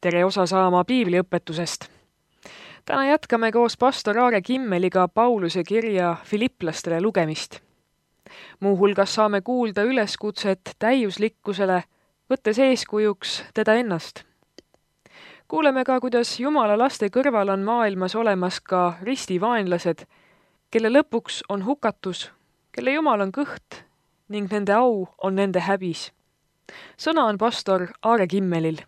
Tere osa saama piibliõpetusest. Täna jätkame koos pastor Aare Kimmeliga Pauluse kirja Filipplastele lugemist. Muuhulgas saame kuulda üleskutset täiuslikkusele, võttes eeskujuks teda ennast. Kuuleme ka, kuidas Jumala laste kõrval on maailmas olemas ka ristivaenlased, kelle lõpuks on hukatus, kelle Jumal on kõht ning nende au on nende häbis. Sõna on pastor Aare Kimmelil.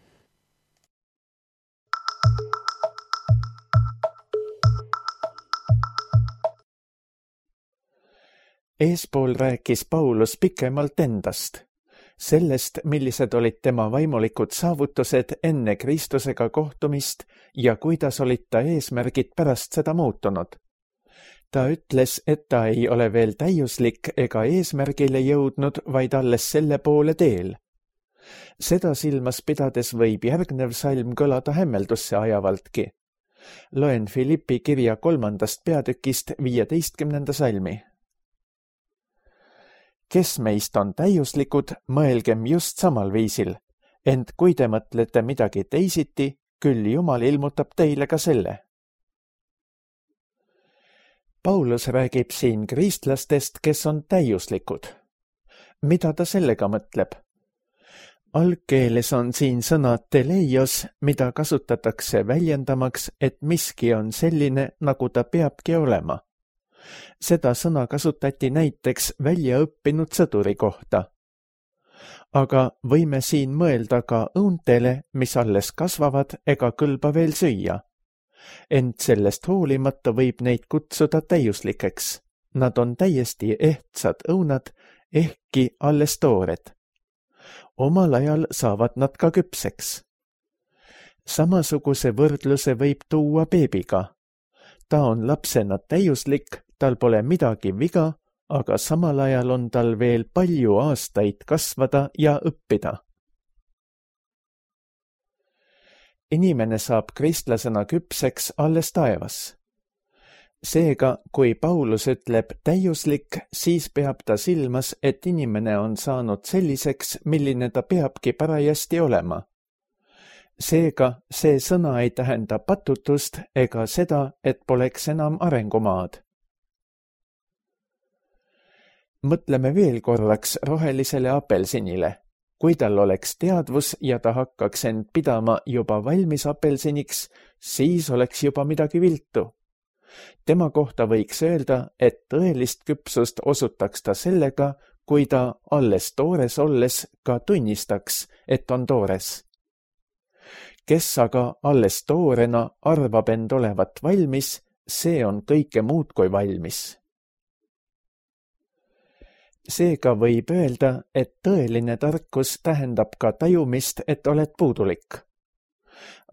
Eespool rääkis Paulus pikemalt endast, sellest, millised olid tema vaimulikud saavutused enne Kristusega kohtumist ja kuidas olid ta eesmärgid pärast seda muutunud. Ta ütles, et ta ei ole veel täiuslik ega eesmärgile jõudnud, vaid alles selle poole teel. Seda silmas pidades võib järgnev salm kõlada hämmeldusse ajavaltki. Loen Filippi kirja 3. peatükist 15. salmi. Kes meist on täiuslikud, mõelgem just samal viisil, ent kui te mõtlete midagi teisiti, küll Jumal ilmutab teile ka selle. Paulus räägib siin kristlastest, kes on täiuslikud. Mida ta sellega mõtleb? Algkeeles on siin sõna teleios, mida kasutatakse väljendamaks, et miski on selline, nagu ta peabki olema. Seda sõna kasutati näiteks väljaõppinud sõduri kohta. Aga võime siin mõelda ka õuntele, mis alles kasvavad ega kõlba veel süüa. Ent sellest hoolimata võib neid kutsuda täiuslikeks. Nad on täiesti ehtsad õunad, ehkki alles toored. Omal ajal saavad nad ka küpseks. Samasuguse võrdluse võib tuua beebiga. Ta on lapsena täiuslik, tal pole midagi viga, aga samal ajal on tal veel palju aastaid kasvada ja õppida. Inimene saab kristlasena küpseks alles taevas. Seega, kui Paulus ütleb täiuslik, siis peab ta silmas, et inimene on saanud selliseks, milline ta peabki parajasti olema. Seega, see sõna ei tähenda patutust ega seda, et poleks enam arengumaad. Mõtleme veel korraks rohelisele apelsinile. Kui tal oleks teadvus ja ta hakkaks end pidama juba valmis apelsiniks, siis oleks juba midagi viltu. Tema kohta võiks öelda, et tõelist küpsust osutaks ta sellega, kui ta alles toores olles ka tunnistaks, et on toores. Kes aga alles toorena arvab end olevat valmis, see on kõike muud kui valmis. Seega võib öelda, et tõeline tarkus tähendab ka tajumist, et oled puudulik.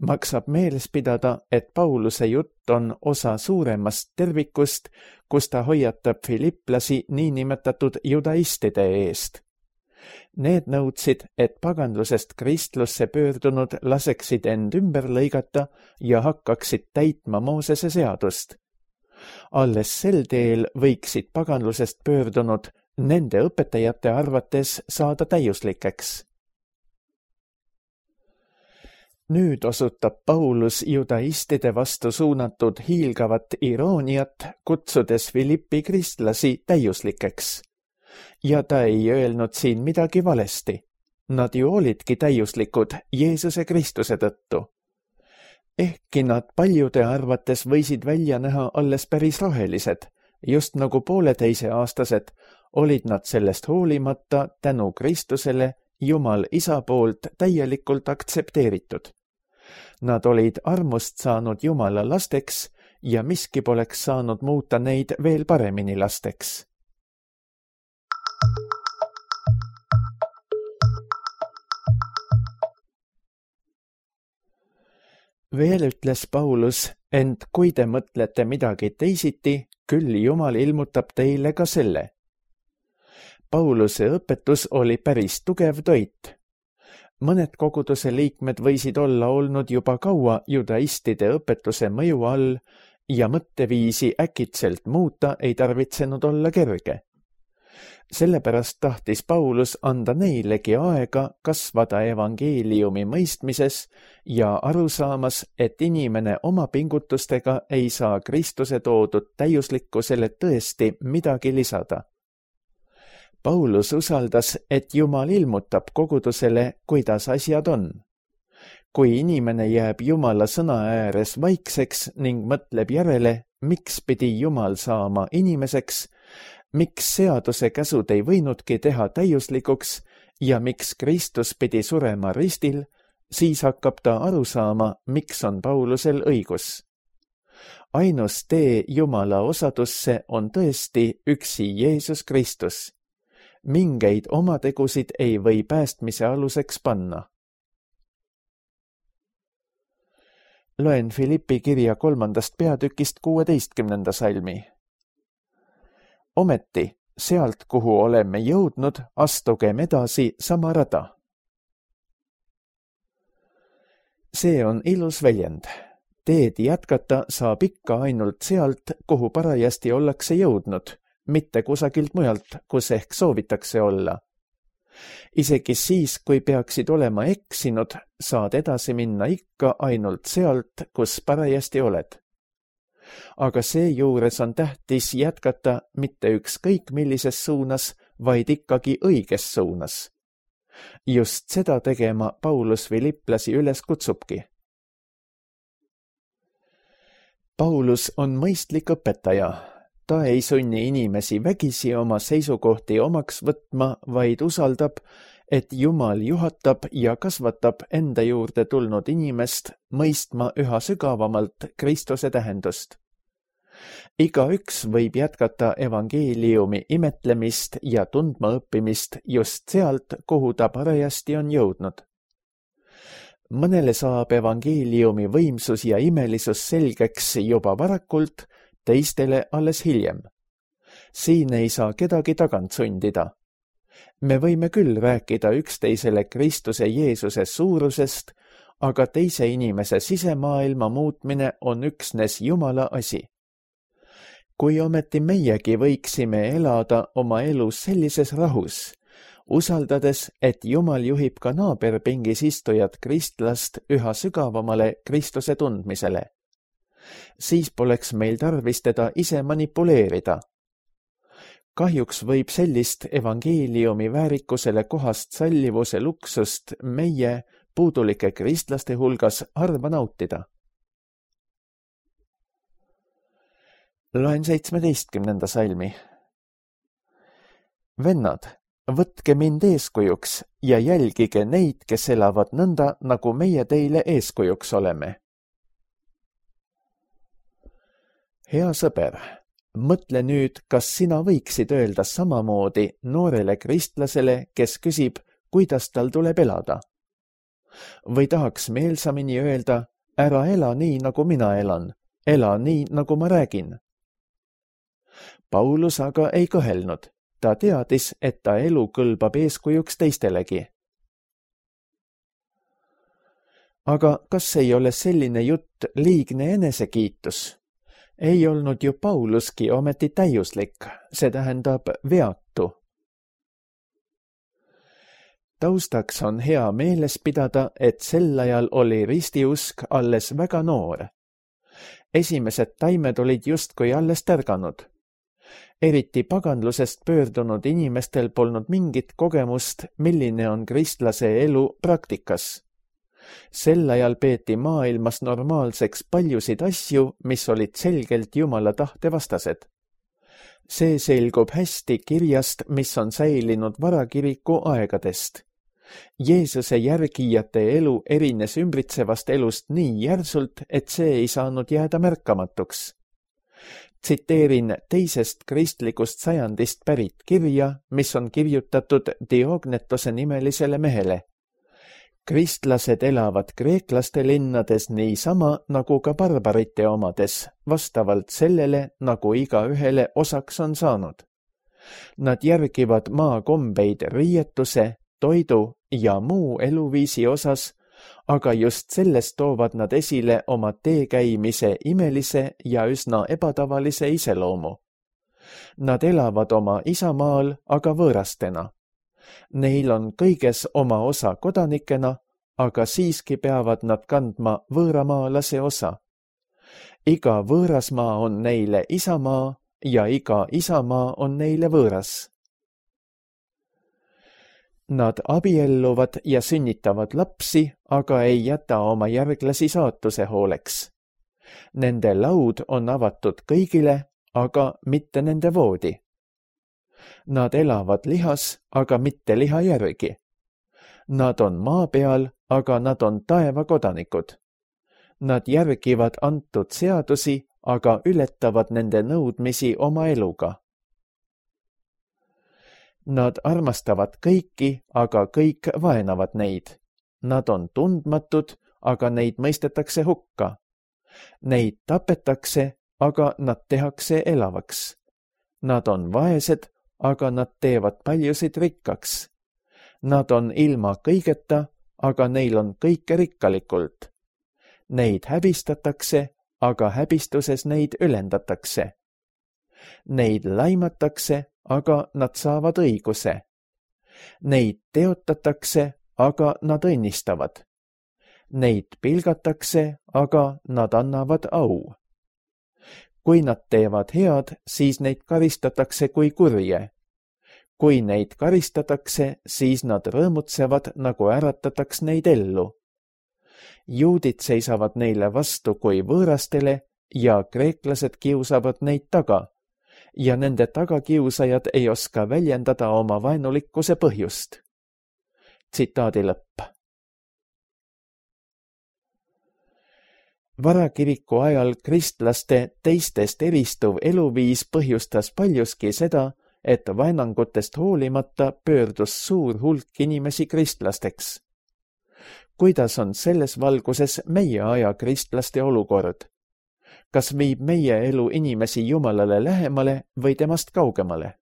Maksab meeles pidada, et Pauluse jutt on osa suuremast tervikust, kus ta hoiatab filipplasi niinimetatud judaistide eest. Need nõudsid, et paganlusest kristlusse pöördunud laseksid end ümber lõigata ja hakkaksid täitma Moosese seadust. Alles sel teel võiksid paganlusest pöördunud nende õpetajate arvates saada täiuslikeks. Nüüd osutab Paulus judaistide vastu suunatud hiilgavat irooniat, kutsudes Filippi kristlasi täiuslikeks. Ja ta ei öelnud siin midagi valesti. Nad ju olidki täiuslikud Jeesuse Kristuse tõttu. Ehkki nad paljude arvates võisid välja näha alles päris rohelised, just nagu 1,5-aastased, olid nad sellest hoolimata tänu Kristusele Jumal Isa poolt täielikult aktsepteeritud. Nad olid armust saanud Jumala lasteks ja miski poleks saanud muuta neid veel paremini lasteks. Veel ütles Paulus, ent kui te mõtlete midagi teisiti, küll Jumal ilmutab teile ka selle. Pauluse õpetus oli päris tugev toit. Mõned koguduse liikmed võisid olla olnud juba kaua judaistide õpetuse mõju all ja mõtteviisi äkitselt muuta ei tarvitsenud olla kerge. Sellepärast tahtis Paulus anda neilegi aega kasvada evangeeliumi mõistmises ja arusaamas, et inimene oma pingutustega ei saa Kristuse toodud täiuslikkusele tõesti midagi lisada. Paulus usaldas, et Jumal ilmutab kogudusele, kuidas asjad on. Kui inimene jääb Jumala sõna ääres vaikseks ning mõtleb järele, miks pidi Jumal saama inimeseks, miks seaduse käsud ei võinudki teha täiuslikuks ja miks Kristus pidi surema ristil, siis hakkab ta aru saama, miks on Paulusel õigus. Ainus tee Jumala osadusse on tõesti üksi Jeesus Kristus. Mingeid oma tegusid ei või päästmise aluseks panna. Loen Filippi kirja 3. peatükist 16. salmi. Ometi, sealt, kuhu oleme jõudnud, astugem edasi sama rada. See on ilus väljend. Teed jätkata saab ikka ainult sealt, kuhu parajasti ollakse jõudnud, mitte kusagilt mujalt, kus ehk soovitakse olla. Isegi siis, kui peaksid olema eksinud, saad edasi minna ikka ainult sealt, kus parajasti oled. Aga seejuures on tähtis jätkata mitte ükskõik millises suunas, vaid ikkagi õiges suunas. Just seda tegema Paulus filiplasi üles kutsubki. Paulus on mõistlik õpetaja. Ta ei sunni inimesi vägisi oma seisukohti omaks võtma, vaid usaldab, et Jumal juhatab ja kasvatab enda juurde tulnud inimest mõistma üha sügavamalt Kristuse tähendust. Igaüks võib jätkata evangeeliumi imetlemist ja tundma õppimist just sealt, kuhu ta parajasti on jõudnud. Mõnele saab evangeeliumi võimsus ja imelisus selgeks juba varakult, teistele alles hiljem. Siin ei saa kedagi tagant sundida. Me võime küll rääkida üksteisele Kristuse Jeesuse suurusest, aga teise inimese sisemaailma muutmine on üksnes Jumala asi. Kui ometi meiegi võiksime elada oma elus sellises rahus, usaldades, et Jumal juhib ka naaberpingis istujat kristlast üha sügavamale Kristuse tundmisele, siis poleks meil tarvis teda ise manipuleerida. Kahjuks võib sellist evangeeliumi väärikusele kohast sallivuse luksust meie puudulike kristlaste hulgas harva nautida. Loen 17. salmi. Vennad, võtke mind eeskujuks ja jälgige neid, kes elavad nõnda, nagu meie teile eeskujuks oleme. Hea sõber, mõtle nüüd, kas sina võiksid öelda samamoodi noorele kristlasele, kes küsib, kuidas tal tuleb elada. Või tahaks meelsamini öelda, ära ela nii, nagu mina elan, ela nii, nagu ma räägin. Paulus aga ei kõhelnud. Ta teadis, et ta elu kõlbab eeskujuks teistelegi. Aga kas ei ole selline jutt liigne enesekiitus? Ei olnud ju Pauluski ometi täiuslik, see tähendab veatu. Taustaks on hea meeles pidada, et sel ajal oli ristiusk alles väga noor. Esimesed taimed olid justkui alles tärganud. Eriti paganlusest pöördunud inimestel polnud mingit kogemust, milline on kristlase elu praktikas. Sel ajal peeti maailmas normaalseks paljusid asju, mis olid selgelt Jumala tahte vastased. See selgub hästi kirjast, mis on säilinud varakiriku aegadest. Jeesuse järgijate elu erines ümbritsevast elust nii järsult, et see ei saanud jääda märkamatuks. Tsiteerin teisest kristlikust sajandist pärit kirja, mis on kirjutatud Diognetose nimelisele mehele. Kristlased elavad kreeklaste linnades niisama nagu ka barbarite omades, vastavalt sellele, nagu igaühele osaks on saanud. Nad järgivad maakombeid riietuse, toidu ja muu eluviisi osas, aga just sellest toovad nad esile oma teekäimise imelise ja üsna ebatavalise iseloomu. Nad elavad oma isamaal, aga võõrastena. Neil on kõiges oma osa kodanikena, aga siiski peavad nad kandma võõramaalase osa. Iga võõrasmaa on neile isamaa ja iga isamaa on neile võõras. Nad abielluvad ja sünnitavad lapsi, aga ei jäta oma järglasi saatuse hooleks. Nende laud on avatud kõigile, aga mitte nende voodi. Nad elavad lihas, aga mitte liha järgi. Nad on maa peal, aga nad on taeva kodanikud. Nad järgivad antud seadusi, aga ületavad nende nõudmisi oma eluga. Nad armastavad kõiki, aga kõik vaenavad neid. Nad on tundmatud, aga neid mõistetakse hukka. Neid tapetakse, aga nad tehakse elavaks. Nad on vaesed, aga nad teevad paljusid rikkaks. Nad on ilma kõigeta, aga neil on kõike rikkalikult. Neid häbistatakse, aga häbistuses neid ülendatakse. Neid laimatakse, aga nad saavad õiguse. Neid teotatakse, aga nad õnnistavad. Neid pilgatakse, aga nad annavad au. Kui nad teevad head, siis neid karistatakse kui kurje. Kui neid karistatakse, siis nad rõõmutsevad, nagu äratataks neid ellu. Juudid seisavad neile vastu kui võõrastele ja kreeklased kiusavad neid taga ja nende tagakiusajad ei oska väljendada oma vaenulikkuse põhjust. Tsitaadi lõpp. Varakiriku ajal kristlaste teistest eristuv eluviis põhjustas paljuski seda, et vaenangutest hoolimata pöördus suur hulk inimesi kristlasteks. Kuidas on selles valguses meie aja kristlaste olukord? Kas viib meie elu inimesi Jumalale lähemale või temast kaugemale?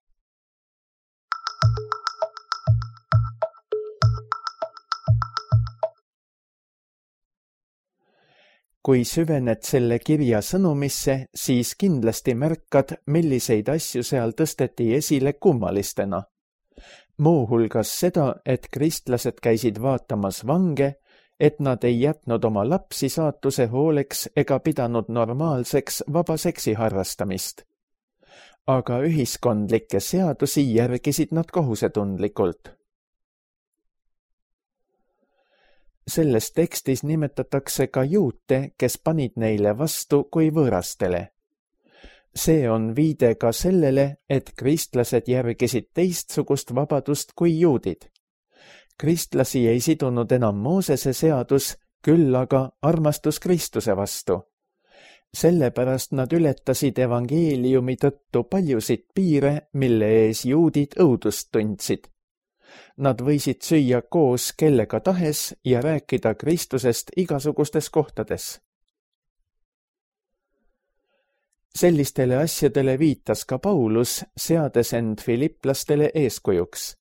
Kui süvened selle kirja sõnumisse, siis kindlasti märkad, milliseid asju seal tõsteti esile kummalistena. Muuhulgas seda, et kristlased käisid vaatamas vange, et nad ei jätnud oma lapsi saatuse hooleks ega pidanud normaalseks vaba seksi harrastamist. Aga ühiskondlikke seadusi järgisid nad kohusetundlikult. Selles tekstis nimetatakse ka juute, kes panid neile vastu kui võõrastele. See on viide ka sellele, et kristlased järgisid teistsugust vabadust kui juudid. Kristlasi ei sidunud enam Moosese seadus, küll aga armastus Kristuse vastu. Sellepärast nad ületasid evangeeliumi tõttu paljusid piire, mille ees juudid õudust tundsid. Nad võisid süüa koos kellega tahes ja rääkida Kristusest igasugustes kohtades. Sellistele asjadele viitas ka Paulus, seades end filiplastele eeskujuks.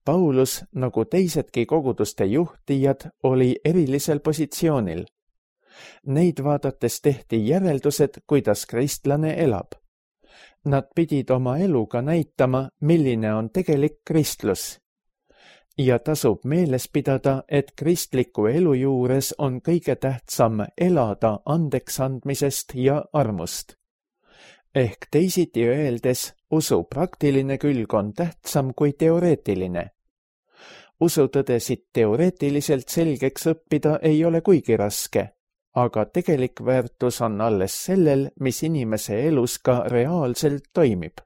Paulus, nagu teisedki koguduste juhtijad, oli erilisel positsioonil. Neid vaadates tehti järeldused, kuidas kristlane elab. Nad pidid oma eluga näitama, milline on tegelik kristlus. Ja tasub meeles pidada, et kristliku elu juures on kõige tähtsam elada andeksandmisest ja armust. Ehk teisiti öeldes, usu praktiline külg on tähtsam kui teoreetiline. Usutõdesid teoreetiliselt selgeks õppida ei ole kuigi raske, aga tegelik väärtus on alles sellel, mis inimese elus ka reaalselt toimib.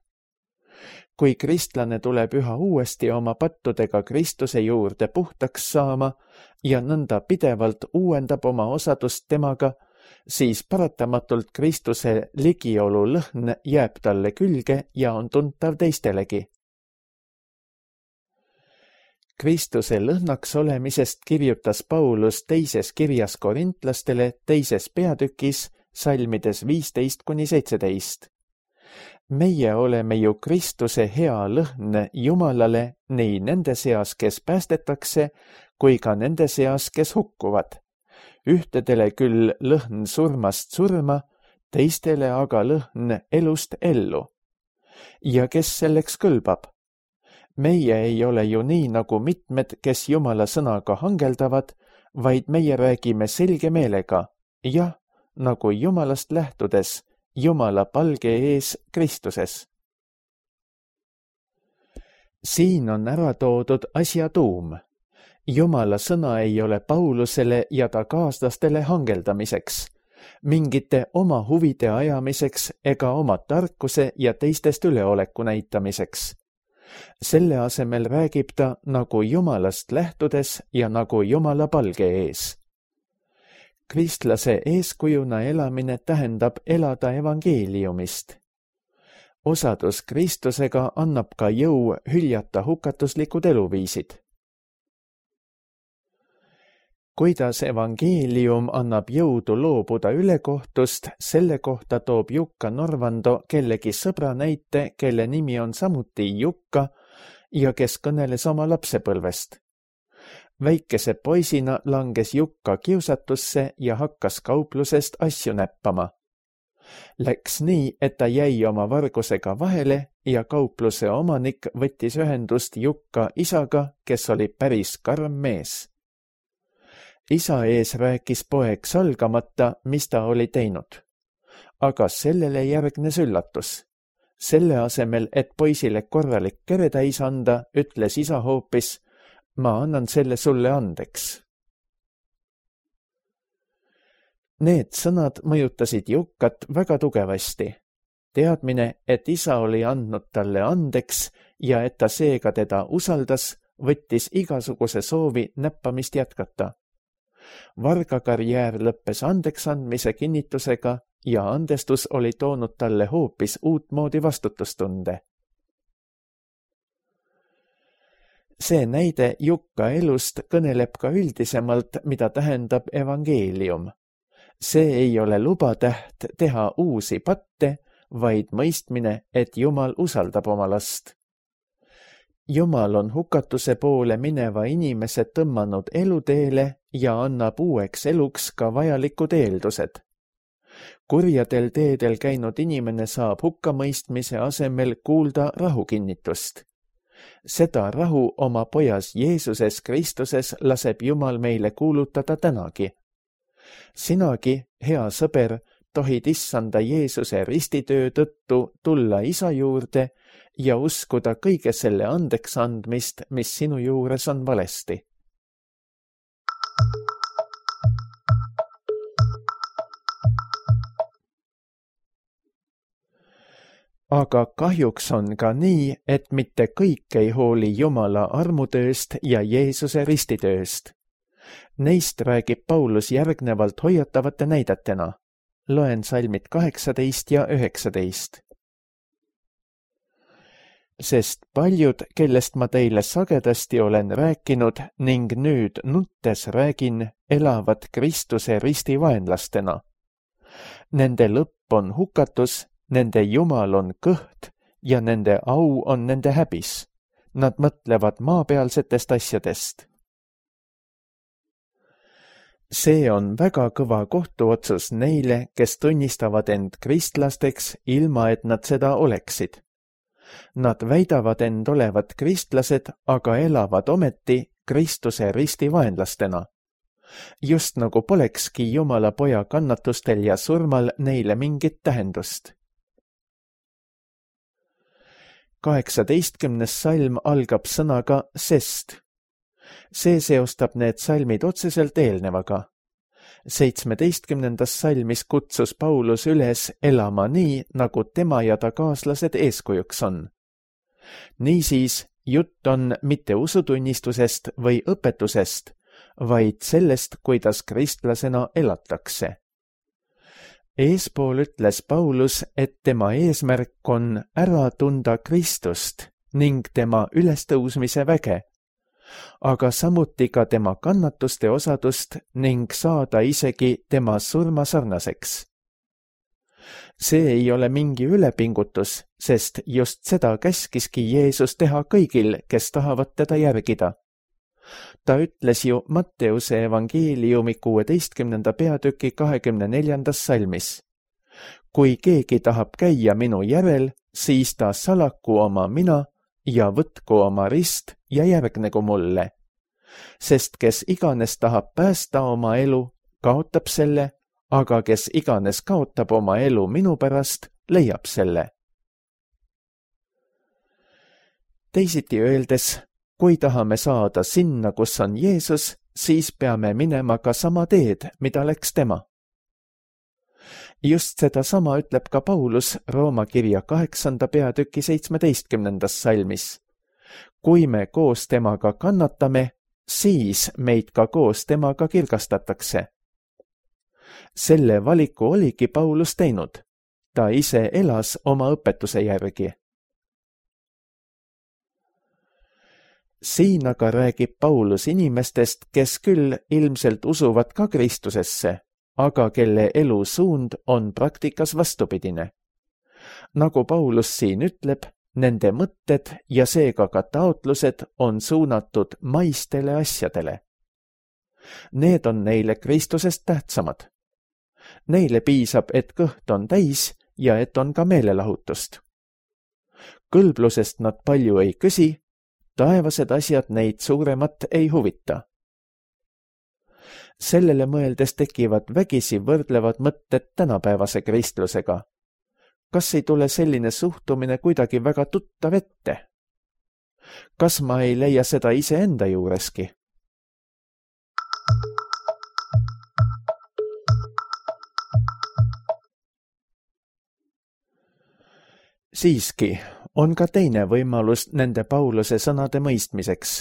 Kui kristlane tuleb üha uuesti oma pattudega Kristuse juurde puhtaks saama ja nõnda pidevalt uuendab oma osadust temaga, siis paratamatult Kristuse ligiolu lõhn jääb talle külge ja on tuntav teistelegi. Kristuse lõhnaks olemisest kirjutas Paulus teises kirjas korintlastele teises peatükis salmides 15-17. Meie oleme ju Kristuse hea lõhn Jumalale nii nende seas, kes päästetakse, kui ka nende seas, kes hukkuvad. Ühtedele küll lõhn surmast surma, teistele aga lõhn elust ellu. ja kes selleks kõlbab? Meie ei ole ju nii nagu mitmed, kes Jumala sõnaga hangeldavad, vaid meie räägime selge meelega, jah, nagu Jumalast lähtudes, Jumala palge ees Kristuses. Siin on ära toodud asja tuum. Jumala sõna ei ole Paulusele ja ta kaaslastele hangeldamiseks, mingite oma huvide ajamiseks ega oma tarkuse ja teistest üleoleku näitamiseks. Selle asemel räägib ta nagu Jumalast lähtudes ja nagu Jumala palge ees. Kristlase eeskujuna elamine tähendab elada evangeeliumist. Osadus Kristusega annab ka jõu hüljata hukatuslikud eluviisid. Kuidas evangeelium annab jõudu loobuda ülekohtust, selle kohta toob Jukka Norvando kellegi sõbra näite, kelle nimi on samuti Jukka ja kes kõneles oma lapsepõlvest. Väikese poisina langes Jukka kiusatusse ja hakkas kauplusest asju näppama. Läks nii, et ta jäi oma vargusega vahele ja kaupluse omanik võttis ühendust Jukka isaga, kes oli päris karm mees. Isa ees rääkis poeg salgamata, mis ta oli teinud. Aga sellele järgnes üllatus. Selle asemel, et poisile korralik keretäis anda, ütles isa hoopis, ma annan selle sulle andeks. Need sõnad mõjutasid Jukkat väga tugevasti. Teadmine, et isa oli andnud talle andeks ja et ta seega teda usaldas, võttis igasuguse soovi näppamist jätkata. Vargakarjäär lõppes andeksandmise kinnitusega ja andestus oli toonud talle hoopis uutmoodi vastutustunde. See näide Jukka elust kõneleb ka üldisemalt, mida tähendab evangeelium. See ei ole lubatäht teha uusi patte, vaid mõistmine, et Jumal usaldab oma last. Jumal on hukatuse poole mineva inimese tõmmanud eluteele ja annab uueks eluks ka vajalikud eeldused. Kurjadel teedel käinud inimene saab hukkamõistmise asemel kuulda rahukinnitust. Seda rahu oma pojas Jeesuses Kristuses laseb Jumal meile kuulutada tänagi. Sinagi, hea sõber, tohid issanda Jeesuse ristitöö tõttu tulla isa juurde ja uskuda kõige selle andeks andmist, mis sinu juures on valesti. Aga kahjuks on ka nii, et mitte kõik ei hooli Jumala armutööst ja Jeesuse ristitööst. Neist räägib Paulus järgnevalt hoiatavate näidetena. Loen salmid 18 ja 19. Sest paljud, kellest ma teile sagedasti olen rääkinud ning nüüd nuttes räägin, elavad Kristuse risti vaenlastena. Nende lõpp on hukatus, nende Jumal on kõht ja nende au on nende häbis. Nad mõtlevad maapealsetest asjadest. See on väga kõva kohtuotsus neile, kes tunnistavad end kristlasteks, ilma et nad seda oleksid. Nad väidavad end olevat kristlased, aga elavad ometi Kristuse risti vaenlastena. Just nagu polekski Jumala poja kannatustel ja surmal neile mingit tähendust. 18. salm algab sõnaga sest. See seostab need salmid otseselt eelnevaga. 17. salmis kutsus Paulus üles elama nii, nagu tema ja ta kaaslased eeskujuks on. Niisiis, jutt on mitte usutunnistusest või õpetusest, vaid sellest, kuidas kristlasena elatakse. Eespool ütles Paulus, et tema eesmärk on ära tunda Kristust ning tema ülestõusmise väge, aga samuti ka tema kannatuste osadust ning saada isegi tema surma sarnaseks. See ei ole mingi ülepingutus, sest just seda käskiski Jeesus teha kõigil, kes tahavad teda järgida. Ta ütles ju Matteuse evangeeliumi 16. peatüki 24. salmis. Kui keegi tahab käia minu järel, siis ta salaku oma mina ja võtku oma rist ja järgnegu mulle. Sest kes iganes tahab päästa oma elu, kaotab selle, aga kes iganes kaotab oma elu minu pärast, leiab selle. Teisiti öeldes, kui tahame saada sinna, kus on Jeesus, siis peame minema ka sama teed, mida läks tema. Just sedasama ütleb ka Paulus Rooma kirja 8. peatüki 17. salmis. Kui me koos temaga kannatame, siis meid ka koos temaga kirgastatakse. Selle valiku oligi Paulus teinud. Ta ise elas oma õpetuse järgi. Siin aga räägib Paulus inimestest, kes küll ilmselt usuvad ka Kristusesse, aga kelle elu suund on praktikas vastupidine. Nagu Paulus siin ütleb, nende mõtted ja seega ka taotlused on suunatud maistele asjadele. Need on neile Kristusest tähtsamad. Neile piisab, et kõht on täis ja et on ka meelelahutust. Kõlblusest nad palju ei küsi, taevased asjad neid suuremat ei huvita. Sellele mõeldes tekivad vägisi võrdlevad mõtted tänapäevase kristlusega. Kas ei tule selline suhtumine kuidagi väga tuttav ette? Kas ma ei leia seda iseenda juureski? Siiski on ka teine võimalus nende Pauluse sõnade mõistmiseks.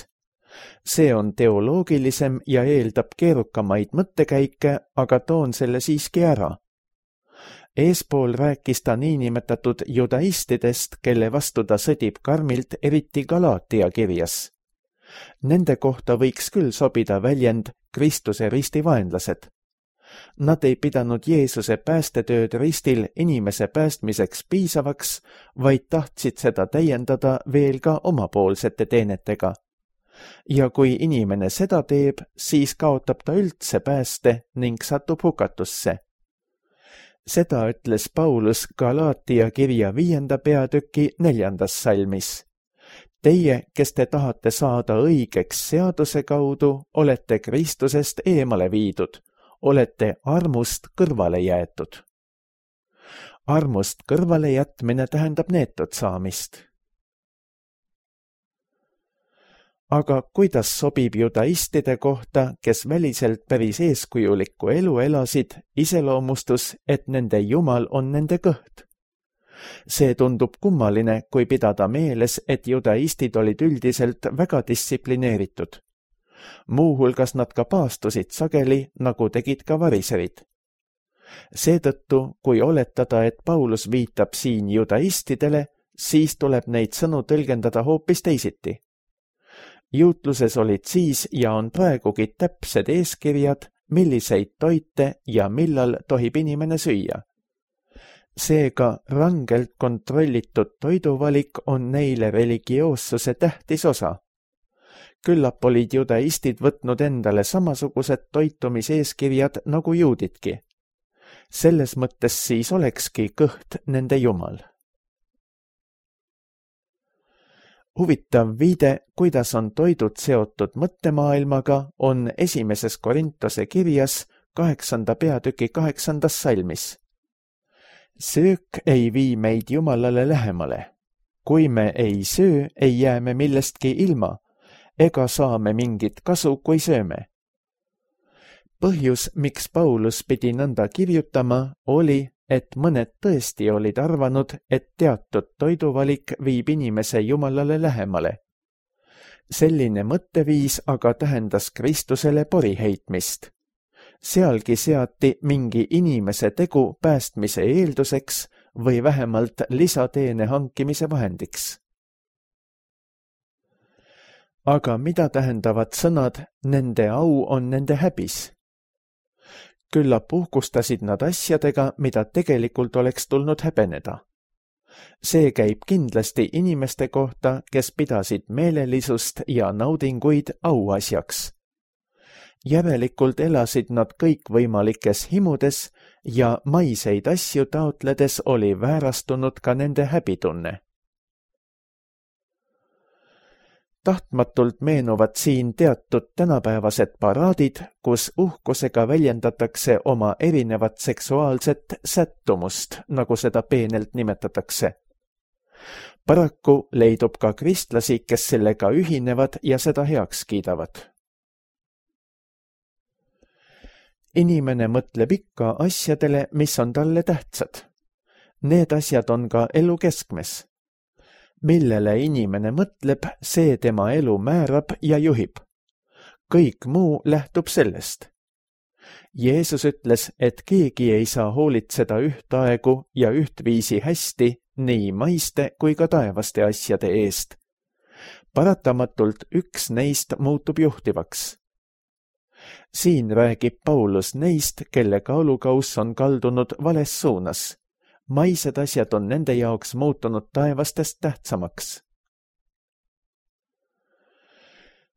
See on teoloogilisem ja eeldab keerukamaid mõttekäike, aga toon selle siiski ära. Eespool rääkis ta niinimetatud judaistidest, kelle vastu ta sõdib karmilt, eriti Galaatia kirjas. Nende kohta võiks küll sobida väljend Kristuse ristivaenlased. Nad ei pidanud Jeesuse päästetööd ristil inimese päästmiseks piisavaks, vaid tahtsid seda täiendada veel ka omapoolsete teenetega. Ja kui inimene seda teeb, siis kaotab ta üldse pääste ning satub hukatusse. Seda ütles Paulus Galaatia kirja 5. peatüki 4. salmis. Teie, kes te tahate saada õigeks seaduse kaudu, olete Kristusest eemale viidud, olete armust kõrvale jäetud. Armust kõrvale jätmine tähendab neetud saamist. Aga kuidas sobib judaistide kohta, kes väliselt päris eeskujulikku elu elasid, iseloomustus, et nende Jumal on nende kõht? See tundub kummaline, kui pidada meeles, et judaistid olid üldiselt väga distsiplineeritud. Muuhulgas nad ka paastusid sageli, nagu tegid ka variserid. Seetõttu, kui oletada, et Paulus viitab siin judaistidele, siis tuleb neid sõnu tõlgendada hoopis teisiti. Juutluses olid siis ja on praegugi täpsed eeskirjad, milliseid toite ja millal tohib inimene süüa. Seega rangelt kontrollitud toiduvalik on neile religioossuse tähtis osa. Küllap olid judaistid võtnud endale samasugused toitumiseeskirjad nagu juudidki. Selles mõttes siis olekski kõht nende Jumal. Huvitav viide, kuidas on toidud seotud mõttemaailmaga, on 1. Korintuse kirjas 8. peatüki 8. salmis. Söök ei vii meid Jumalale lähemale. Kui me ei söö, ei jää me millestki ilma, ega saame mingit kasu, kui sööme. Põhjus, miks Paulus pidi nõnda kirjutama, oli, et mõned tõesti olid arvanud, et teatud toiduvalik viib inimese Jumalale lähemale. Selline mõtteviis aga tähendas Kristusele pori heitmist. Sealgi seati mingi inimese tegu päästmise eelduseks või vähemalt lisateene hankimise vahendiks. Aga mida tähendavad sõnad, nende au on nende häbis? Küllap uhkustasid nad asjadega, mida tegelikult oleks tulnud häbeneda. See käib kindlasti inimeste kohta, kes pidasid meelelisust ja naudinguid auasjaks. Järelikult elasid nad kõikvõimalikes himudes ja maiseid asju taotledes oli väärastunud ka nende häbitunne. Tahtmatult meenuvad siin teatud tänapäevased paraadid, kus uhkusega väljendatakse oma erinevat seksuaalset sättumust, nagu seda peenelt nimetatakse. Paraku leidub ka kristlasi, kes sellega ühinevad ja seda heaks kiidavad. Inimene mõtleb ikka asjadele, mis on talle tähtsad. Need asjad on ka elu keskmes. Millele inimene mõtleb, see tema elu määrab ja juhib. Kõik muu lähtub sellest. Jeesus ütles, et keegi ei saa hoolitseda ühtaegu ja ühtviisi hästi nii maiste kui ka taevaste asjade eest. Paratamatult üks neist muutub juhtivaks. Siin räägib Paulus neist, kelle kaalukauss on kaldunud vales suunas. Maised asjad on nende jaoks muutunud taevastest tähtsamaks.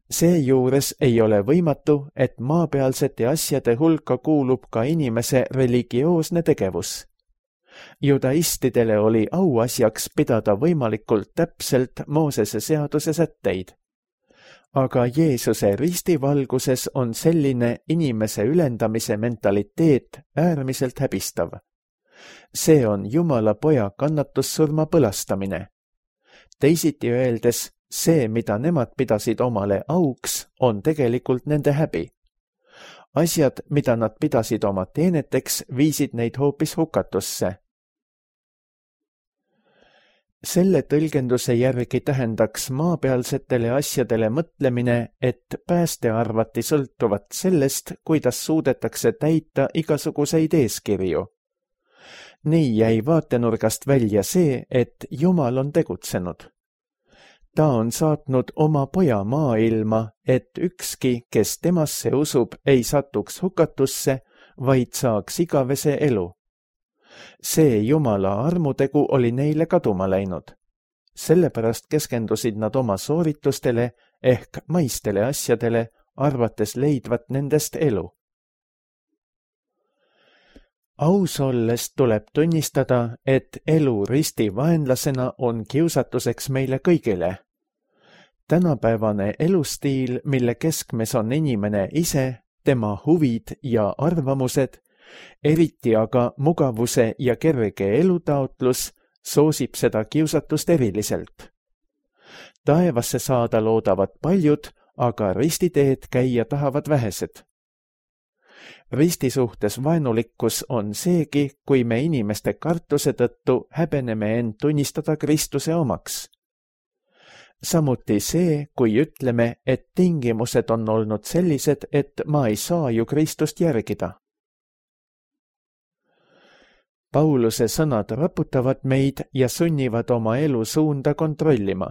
Seejuures ei ole võimatu, et maapealsete asjade hulka kuulub ka inimese religioosne tegevus. Judaistidele oli auasjaks pidada võimalikult täpselt Moosese seaduse sätteid. Aga Jeesuse ristivalguses on selline inimese ülendamise mentaliteet äärmiselt häbistav. See on Jumala poja kannatussurma põlastamine. Teisiti öeldes, see, mida nemad pidasid omale auks, on tegelikult nende häbi. Asjad, mida nad pidasid oma teeneteks, viisid neid hoopis hukatusse. Selle tõlgenduse järgi tähendaks maapealsetele asjadele mõtlemine, et pääste arvati sõltuvat sellest, kuidas suudetakse täita igasuguseid eeskirju. Nii jäi vaatenurgast välja see, et Jumal on tegutsenud. Ta on saatnud oma poja maailma, et ükski, kes temasse usub, ei satuks hukatusse, vaid saaks igavese elu. See Jumala armutegu oli neile kaduma läinud. Sellepärast keskendusid nad oma sooritustele ehk maistele asjadele, arvates leidvat nendest elu. Aus olles tuleb tunnistada, et elu risti vaenlasena on kiusatuseks meile kõigile. Tänapäevane elustiil, mille keskmes on inimene ise, tema huvid ja arvamused, eriti aga mugavuse ja kerge elutaotlus, soosib seda kiusatust eriliselt. Taevasse saada loodavad paljud, aga ristiteed käia tahavad vähesed. Risti suhtes vaenulikkus on seegi, kui me inimeste kartuse tõttu häbeneme end tunnistada Kristuse omaks. Samuti see, kui ütleme, et tingimused on olnud sellised, et ma ei saa ju Kristust järgida. Pauluse sõnad raputavad meid ja sunnivad oma elu suunda kontrollima.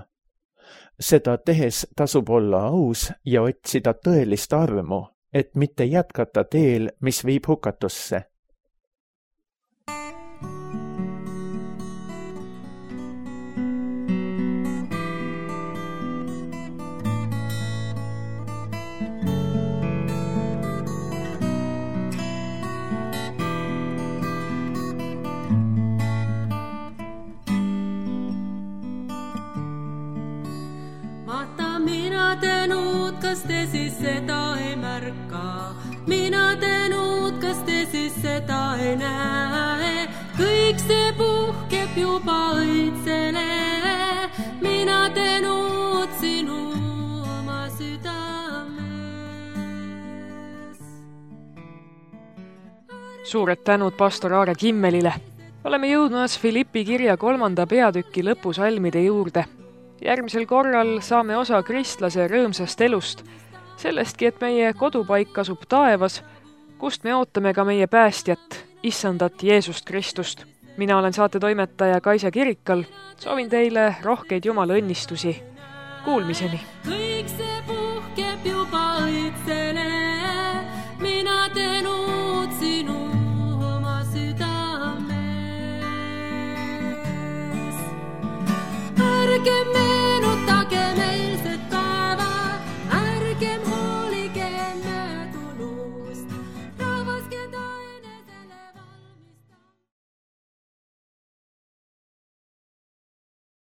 Seda tehes tasub olla aus ja otsida tõelist armu, et mitte jätkata teel, mis viib hukatusse. Mina teinud, kas te siis seda ei märka? Mina teinud, kas te siis seda ei näe? Kõik see puhkeb juba õitsele. Mina teinud sinu oma südames. Suured tänud pastor Aare Kimmelile. Oleme jõudmas Filippi kirja 3. peatüki lõpusalmide juurde. Järgmisel korral saame osa kristlase rõõmsast elust, sellestki, et meie kodupaik asub taevas, kust me ootame ka meie päästjat, issandat Jeesust Kristust. Mina olen saatetoimetaja Kaisa Kirikal. Soovin teile rohkeid Jumala õnnistusi. Kuulmiseni! Kõik see puhkeb juba õitsele. Mina teinud sinu oma südames. Ärge me